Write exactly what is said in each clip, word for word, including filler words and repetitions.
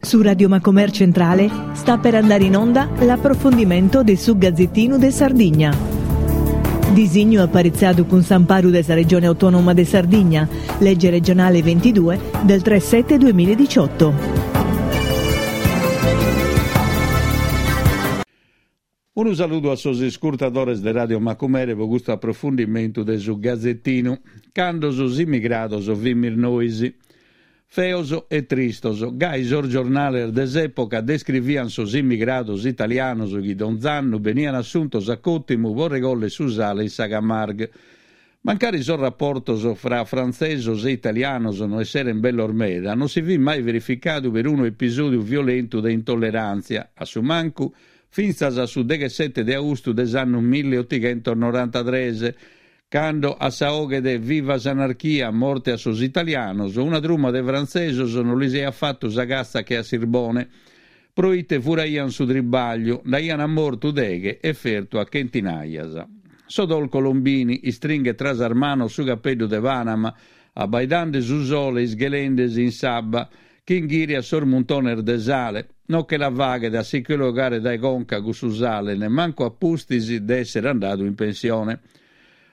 Su Radio Macomer Centrale sta per andare in onda l'approfondimento de su Gazzettinu de Sardigna. Disignu aparitzadu cun s'amparu de sa Regione Autonoma de Sardigna, legge regionale ventidue del tre sette duemiladiciotto. Unu saludu a sos iscurtadores de Radio Macumere pro custu aprofundimentu de su Gazettinu. Cando sos immigrados fimis nois. Feos e tristos, gai sos giornales de s'època descrivian sos immigrados italianos chi donz'annu benian assuntos a còtimu pro regòllere su sale in sa Camargue. Mancari sos raportos fra frantzesos e italianos no esseren bellos meda, non si fit mai verificadu perunu episòdiu violentu de intolleràntzia, a su mancu fintzas a su deghessete de austu de s'annu milleotighentos norantatres, cando a sa 'oghe de Viva s'anarchia, morte a sos italianos, una truma de frantzesos non lis aiat fatu sa catza che a sirbone, proite furaian su tribagliu, nd'aian mortu deghe e fertu a chentinaias. Sodol Colombini istringhet tra sas manos su capeddu de Panama, abbaidande su sole isghelendesi in s'abba chi inghìriat sos muntones de sale, non che la faghet a si che lu 'ogare dae conca cussu sale, nemmancu a pustis de èssere andadu in pensione.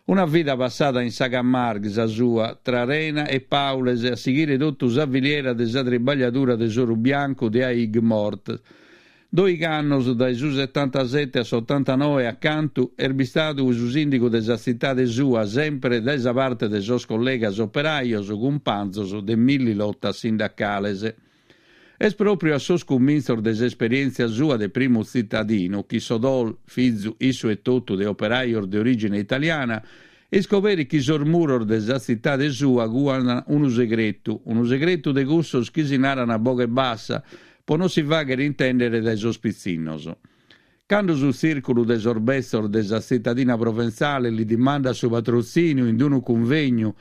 Una vida passada in sa Camargue, sa sua, tra rena e paules, a sighire totu sa filiera de sa tribagliadura de s'oru biancu de Aigues-Mortes. Doig'annos, dae su setantasete a s'otantanoe, a cantu est bistadu su sìndigu de sa tzitade sua, semper dae sa parte de sos collegas operajos, cumpanzos de milli lotas sindacales. Est pròpriu a sos cumintzos de s'esperièntzia sua de primu tzitadinu chi Sodol, fizu issu etotu de operajos de orìgine italiana, iscoberit chi sos muros de sa tzitade sua cuan unu segretu, unu segretu de cussos chi si naran a boghe bassa pro non si fàghere intèndere dae sos pitzinnos. Cando su tzìrculu de sos betzos de sa tzitadina proventzale li dimandat su patrotzìniu in unu cunvegnu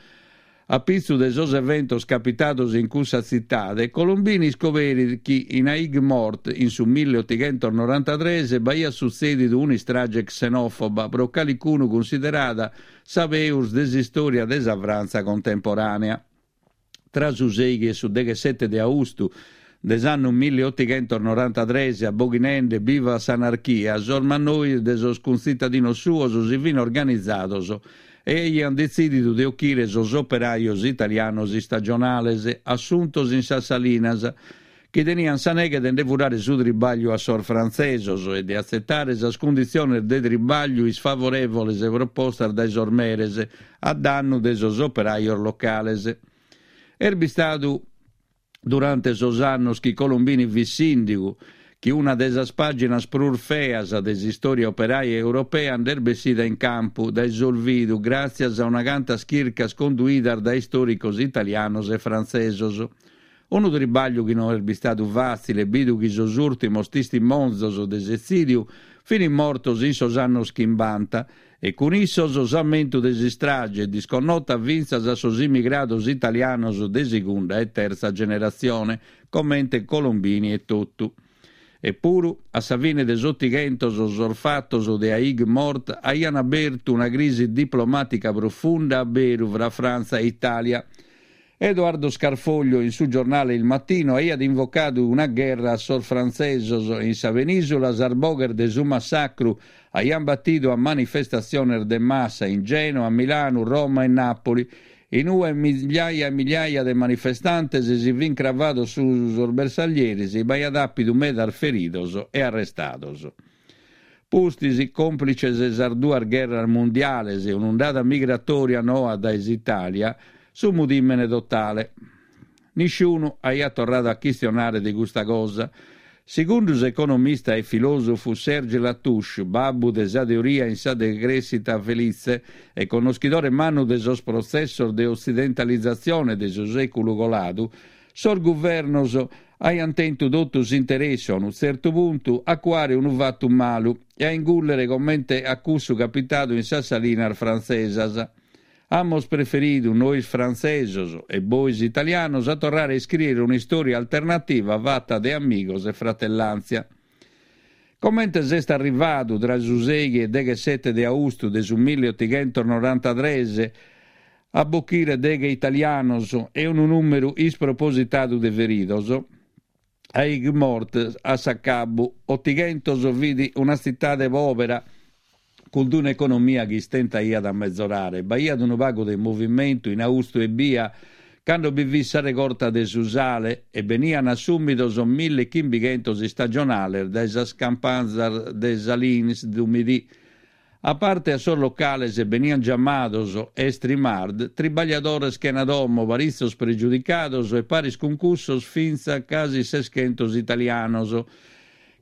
a pitzu de sos eventos capitados in cussa tzitade, Colombini iscoberit chi in Aigues-Mortes in su milleotighentos norantatres b'aiat sutzèdidu un'istrage xenòfoba pro calicunu cunsiderada sa peus de s'istòria de sa Frantza contemporànea. Tra su sèighi e su deghessete de austu de s'annu milleotighentos norantatres, aboghinende Viva s'anarchia, sos mannois de sos cuntzitadinos suos si fin organizados e aian detzìdidu de ochire sos operajos italianos istagionales assuntos in sas salinas, chi tenian sa neghe de nde furare su tribagliu a sos frantzesos e de atzetare sas cunditziones de tribagliu isfavorèvoles propostas dae sos meres a dannu de sos operajos locales. Est bistadu durante sos annos chi Colombini fit sìndigu chi una de sas pàginas prus feas de s'istòria operaia europea nd'est bessida in campu dae s'olvidu gràtzias a una cantas chircas conduidas dae istòricos italianos e frantzesos. Unu tribagliu chi no est bistadu fàtzile, bidu chi sos ùrtimos tistimonzos de s'etzìdiu fin mortos in sos annos chimbanta e cun issos s'ammentu de s'istrage disconnota fintzas a sos immigrados italianos de segunda e tertza generatzione, comente Colombini etotu. Epuru, a sa fine de s'Otighentos, sos fatos de Aigues-Mortes aian abertu una crisi diplomàtica profunda a beru fra Frantza e Itàlia. Edoardo Scarfoglio in su giornale Il Mattino aiat invocadu una gherra a sos frantzesos e in sa penìsula sas boghes de su massacru aian batidu a manifestatziones de massa in Gènoa, Milanu, Roma e Nàpoli, in ue migliaia e migliaia de manifestantes si fin cravados su sos bersaglieris e b'aiat àpidu medas feridos e arrestados. Pustis, còmplices sas duas gherras mundiales e un'undada migratòria noa dae s'Itàlia, su mudìmene totale. Nisciunu aiat torradu a chistionare de custa cosa. Segundu s'economista e filòsofu Serge Latouche, babbu de sa teoria in sa decrèschita felitze e connoschidore mannu de sos protzessos de otzidentalizatzione de su sèculu coladu, sos guvernos aiant tentu totu s'interessu a unu tzertu puntu a cuare unu fatu malu e a ingùllere comente a cussu capitadu in sas salinas frantzesas. Amus preferidu nois frantzesos e bois italianos a torrare a iscrìere un'istòria alternativa fata de amigos e fratellàntzia. Comente s'est arrivadu tra su sèighi e deghessete de austu de su milleotighentos norantatres a bochire deghe italianos e unu nùmeru ispropositadu de feridos? Aigues-Mortes a s'acabu Otighentos fit una tzitade pòbera cun un'economia chi istentaiat a mezorare. B'aiat unu pagu de movimentu in austu ebbia, cando bi fit sa regorta de su sale e benian assùmidos mille chimbichentos istagionales dae sas campanzas de Salins du Midi. A parte a sos locales benian giamados estrimard, tribagliadores chena domo, paritzos pregiudicados e paris cun cussos fintzas casi seschentos italianos,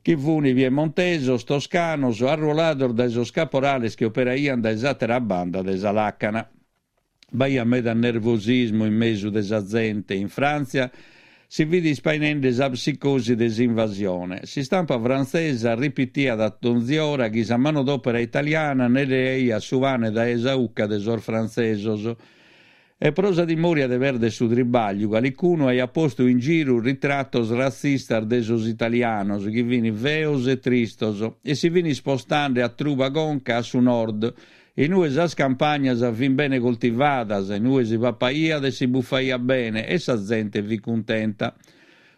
chi funi piemontesos, toscanos, arruolados dae sos caporales chi operaian dae s'àtera banda de sa làcana. B'aiat meda nervosismu in mesu de sa zente. In Fràntzia si fit ispainende sa psicosi de s'invasione. S'istampa frantzesa ripitiat a donzi ora chi sa manodòpera italiana nde leaiat su pane dae sa 'ucca de sos frantzesos. E pro sa timòria de pèrdere su tribàgliu, calicunu aiat postu in giru ritratos ratzistas de sos italianos, chi fin feos e tristos, e si fin ispostende a truba conca a su nord, in ue sas campagnas fin bene coltivadas, in ue si papaiat e si bufaiat bene e sa zente fit cuntenta.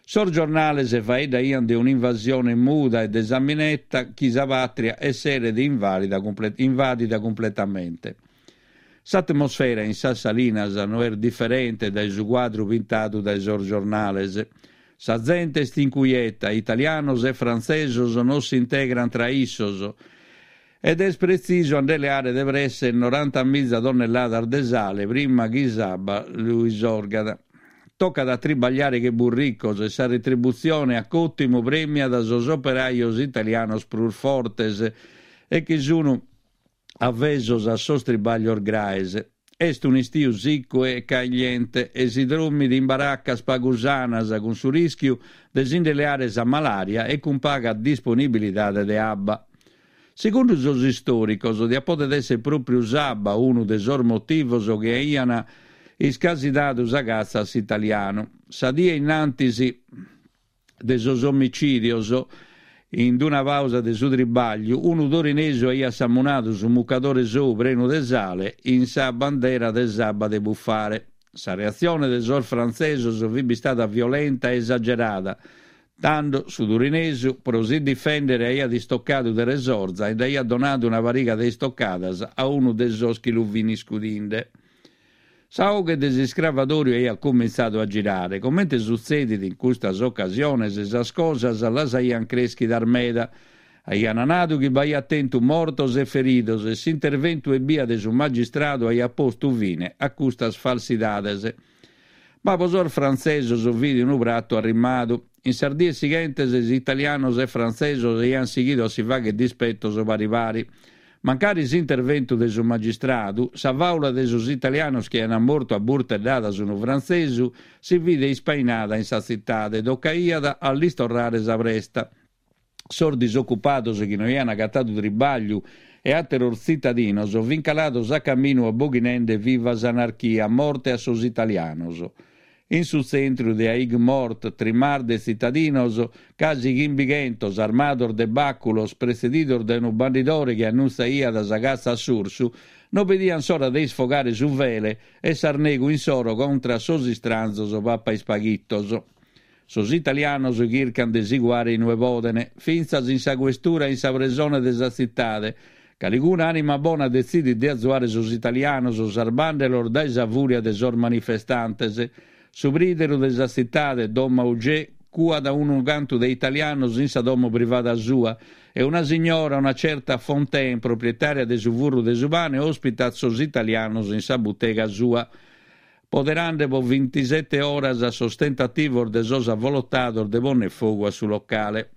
Sos giornales faeddaian de un'invasione muda e de sa mineta chi sa pàtria esseret invàdida cumpletamente. S'atmosfera in sas salinas no est diferente dae su cuadru pintadu dae sos giornales. Sa zente est incuieta, italianos e frantzesos non s'integrant tra issos ed est pretzisu a nde leare de presse norantamiza tonnelladas de sale prima chi s'abba lu isorgat. Tocat a tribagliare che burricos e sa retributzione a còtimu premiat sos operajos italianos prus fortes e chi sun avesos a sos tribaglios graes. Est un'istiu siccu e cagliente e si drommit in baracas pagu sanas cun su rìschiu de si nde leare sa malària e cun paga disponibilidade de abba. Segundu sos istòricos, diat poder èssere pròpiu s'abba unu de sos motivos chi aian iscasidadu sa catza a s'italianu. Sa die in antis de sos omicìdios, in una pàusa de su tribàgliu, unu torinesu aiat samunadu su mucadore sou prenu de sale in sa bandera de s'abba de bufare. Sa reatzione de sos frantzesos fit bistada violenta e esagerada. Tando su turinesu, pro si difèndere, aiat istocadu de resorza e nd'aiat donadu una pariga de istocadas a unu de sos chi lu fin iscudinde. Sa 'oghe de s'iscravadòriu aiat cumintzadu a girare. Comente sutzedit in custas ocasiones, sas cosas las aian crèschidas meda. Aian nadu chi b'aiat tentu mortos e feridos e s'interventu ebbia de su magistradu aiat postu fine a custas falsidades. Ma pro sos frantzesos fit unu pratu arrimadu. In sas dies sighentes italianos e frantzesos aian sighidu a si fàghere dispetos pari pari. Mancari s'interventu de su magistradu, sa fàula de sos italianos chi aian mortu a burteddadas unu frantzesu si fit ispainada in sa tzitade. Tocaiat a lis torrare sa presta. Sos disocupados chi no aian agatadu tribàgliu e àteros tzitadinos fin calados a caminu aboghinende viva s'anarchia, morte a sos italianos. In su tzentru de Aigues-Mortes, trimar de tzitadinos, casi chimbichentos, armados de bàculos, pretzedidos dae unu bandidore chi annuntziaiat sa catza a s'ursu, no bidian s'ora de isfogare su fele e s'arnegu insoro contra sos istranzos papaispaghitos. Sos italianos chircan de si cuare inue poden, fintzas in sa questura e in sa presone de sa tzitade. Calicuna ànima bona detzidit de azuare sos italianos sarbàndelos dae sa fùria de sos manifestantes. Su prìderu de sa tzitade, Don Mauger, cuat unu cantu de italianos in sa domo privada sua e una signora, una certa Fontaine, proprietària de su furru de su pane, ospitat sos italianos in sa butega sua, poderande pro bintisete oras sos tentativos de sos avolotados de pònnere fogu a su locale.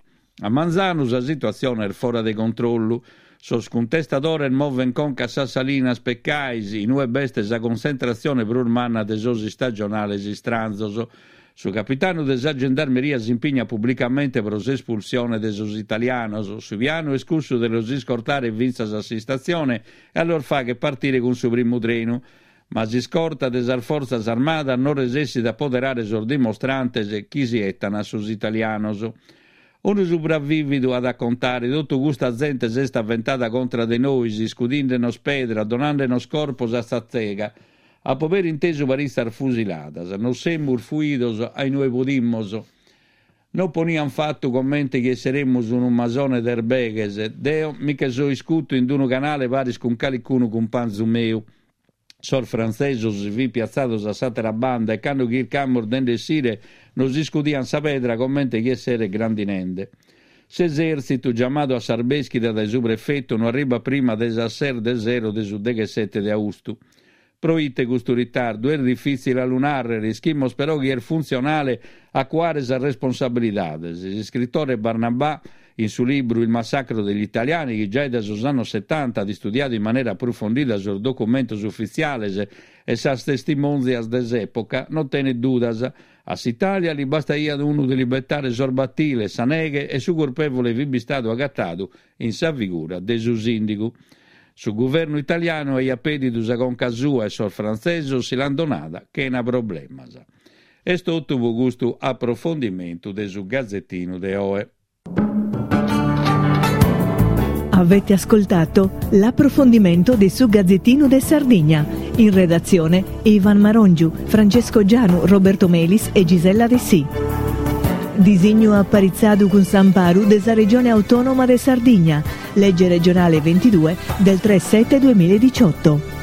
A manzanu sa situatzione est fora de controllu. Sos cuntestadores moven conca a sas Salinas Pecais, in ue b'est sa contzentratzione prus manna de sos istagionales istranzos. Su capitanu de sa gendarmeria s'impignat publicamente pro s'espulsione de sos italianos. Su pianu est cussu de los iscortare fintzas a s'istatzione e a los fàghere partire cun su primu trenu. Ma s'iscorta de sas fortzas armadas non resessit a poderare sos dimostrantes chi si 'etan a sos italianos. Unu supravìvidu at a contare totu custa zente s'est aventada contra de nois, iscudinde-nos pedra, donande-nos corpos a sa tzega. Apo peri intesu paritzas fusiladas. Nos semus fuidos a inue podimus. No ponian fatu comente chi esseremus unu masone de erbeghes. Deo mi che so iscutu in unu canale paris cun calicunu cumpanzu meu. Sos frantzesos si fin piatzados a s'àtera banda e cando chircamus de nd'essire nos iscudian sa pedra comente chi esseret grandinende. S'esèrtzitu, giamadu a s'arbèschida dae su prefetu, no arribat prima de sas ses de sero de su deghessete de austu. Pro ite custu ritardu? Est difìtzile a lu nàrrere, ischimus però chi est funtzionale a cuare sas responsabilidades. S'iscritore Barnabà, in su libru Il massacro degli italiani, chi giai dae sos annos setanta at istudiadu in manera aprufondida sos documentos ufitziales e sas testimòntzias de s'època, non tenet dudas. A s'Itàlia li bastaiat unu de li betare sos batiles, sa neghe e su curpèvole fit bistadu agatadu in sa figura de su sìndigu. Su guvernu italianu aiat pedidu sa conca sua e sos frantzesos si l'ant donada chena problemas. Est totu pro custu aprofondimentu de su Gazetinu de oe. Avete ascoltato l'approfondimento di su Gazzettino de Sardigna. In redazione Ivan Marongiu, Francesco Gianu, Roberto Melis e Gisella Dessì. Disignu aparitzadu cun s'amparu de sa Regione Autonoma de Sardigna. Legge regionale ventidue del tre sette duemiladiciotto.